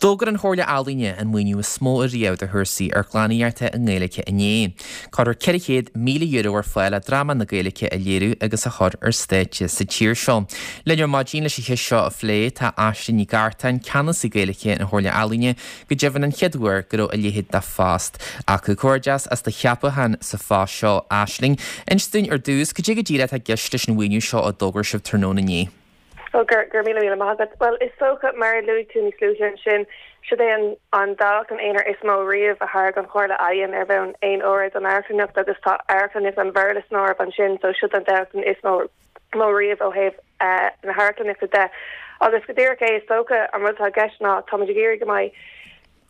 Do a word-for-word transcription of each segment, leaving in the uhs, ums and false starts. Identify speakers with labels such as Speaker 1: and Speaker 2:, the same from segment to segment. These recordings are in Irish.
Speaker 1: D'fhógair an Chomhairle Ealaíne an maoiniú is mó ariamh do chúrsaí amharclannaíochta i nGaeilge inné. Cuirfear ceithre chéad míle euro ar fáil le dráma na Gaeilge a léiriú agus a chur ar stáitse sa tír seo. Linn ar maidin leis an cheist seo a phlé tá Aisling Ní Gartáin, ceannasaí Gaeilge na Comhairle Ealaíne, go deimhin an chéad uair go raibh a leithéid de phost acu. Comhghairdeas as do cheapachán sa phost seo Aisling. Inis dúinn ar dtús cad é go díreach atá i gceist leis an mhaoiniú seo a d'fhógair sibh tráthnóna inné.
Speaker 2: Well gur gur míle míle maith agat. Well is dócha mar a luaigh tú níos luaithe ansin siod é an an dámhachtain aonair is mó riamh a thairg an Chomhairle Ealaíon ar bhonn aon uair don amharclannaíocht agus tá amharclannaíocht an Bhéarla san áireamh ansin so siod an dámhachtain is mó mó riamh ó thaobh uh, na hamharclannaíochta de. Agus go díreach é is dócha an rud atá i gceist ná táimid ag iarraidh go mbeidh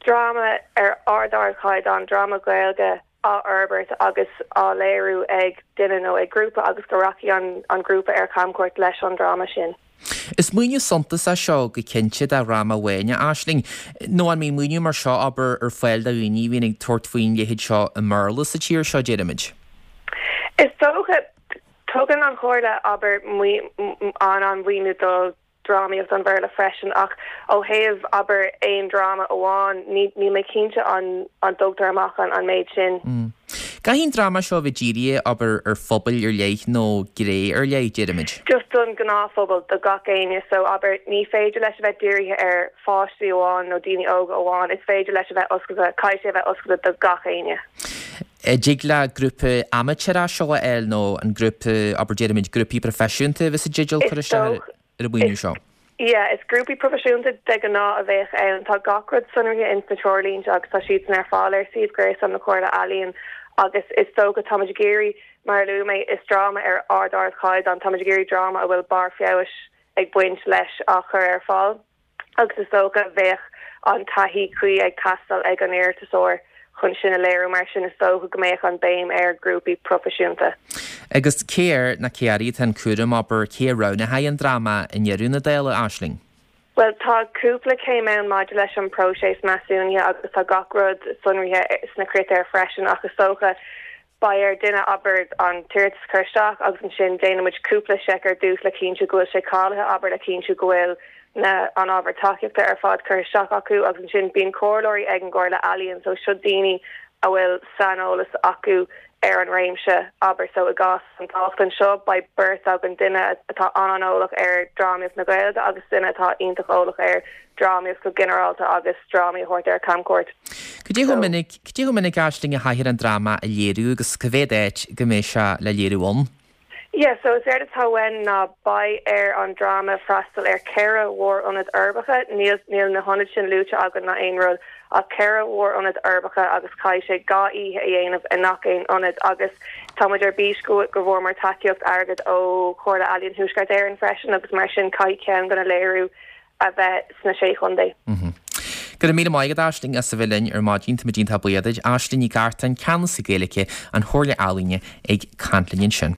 Speaker 2: dráma ar ard-ardchaighdeán dráma Gaeilge á fhorbairt agus á léiriú ag duine nó ag grúpa agus go rachaidh an an grúpa ar camchuairt leis an dráma sin.
Speaker 1: Is maoiniú suntasach seo go cinnte do dhráma amháin Aisling, nó an mbíonn maoiniú mar seo abair ar fáil do dhaoine a bhíonn ag tabhairt faoin leithéid seo i mBéarla sa tír seo deirimid.
Speaker 2: Is dócha tugann an Chomhairle abair an an mhaoiniú do drámaíocht an Bhéarla freisin ach ó thaobh abair aon dráma amháin ní ní mé cinnte an an dtugtar amach an an méid sin.
Speaker 1: Mm. Caithfidh an dráma seo bheith dírithe abair ar phobal ar leith nó gné ar leith deirimid.
Speaker 2: Just don ghnáthphobal do gach éinne so abair ní féidir leis a bheith dírithe ar pháistí amháin nó daoine óga amháin is féidir leis a bheith oscailte caithfidh sé a bheith oscailte do gach éinne.
Speaker 1: Dtig le grúpa amaitéarach seo a fháil nó an grúpa abair deirimid grúpaí proifisiúnta bheith sa dteideal cur isteach ar an mhaoiniú seo.
Speaker 2: Yeah, is grúpaí proifisiúnta de ghnáth a bheadh ann tá gach rud sonraithe in sna treoirlínte agus tá siad san ar fáil ar suíomh gréasáin na Comhairle Ealaíon agus is dócha táimid ag iarraidh mar a luaigh mé is dráma ar ard-ardchaighdeán táimid ag iarraidh dráma a bhfuil barr feabhais ag baint leis á chur ar fáil agus is dócha bheadh an taithí cuí ag teastáil ag an iarratasóir chun sin a léiriú mar sin is dócha go mbeadh an béim ar grúpaí proifisiúnta.
Speaker 1: Agus cé air nó cé uirthi atá an cúram abair cé a roghnóidh an dráma i ndeireadh na dála Aisling.
Speaker 2: Well tá cúpla céim ann maidir leis an próiseas measúnaithe agus tá gach rud sonraithe sna critéir freisin ach is dócha beidh ar duine abair an t-iarratas chur isteach agus ansin déanaimid cúpla seic ar dtús le cinntiú go bhfuil sé cáilithe abair le cinntiú go bhfuil na an ábhar tacaíochta ar fad chur isteach acu agus ansin bíonn comhairleoirí ag an gComhairle Ealaíon so seo daoine a bhfuil saineolas acu ar an réimse abair so i gcás an dámhachtain seo beidh beirt againn duine atá an-eolach ar drámaíocht na Gaeilge agus duine atá iontach eolach ar drámaíocht go ginearálta agus drámaí a thabhairt ar camchuairt.
Speaker 1: Cad é chomh minic cad é chomh minic Aisling a chaithfear an dráma a léiriú agus cá mhéad áit go mbeidh sé le léiriú ann.
Speaker 2: Yeah, so is éard atá uainn ná beidh ar an dráma freastal ar ceithre mhórionad uirbeacha níl níl na hionaid sin luaite againn ná aon rud ach ceithre mhórionad uirbeacha agus caithfidh sé dhá oíche a dhéanamh i ngach aon ionad agus táimid ar bís go go bhfuair tacaíocht airgid ó Chomhairle Ealaíon Thuaisceart Éireann freisin agus mar sin caithfidh ceann de na léiriú a bheith sna sé chontae.
Speaker 1: Mm -hmm. Go raibh míle maith agat Aisling as a bheith linn ar maidin tá muid iontach buíoch duit Aisling Ní Gartáin ceannasaí Gaeilge an Chomhairle Ealaíne ag caint linn ansin.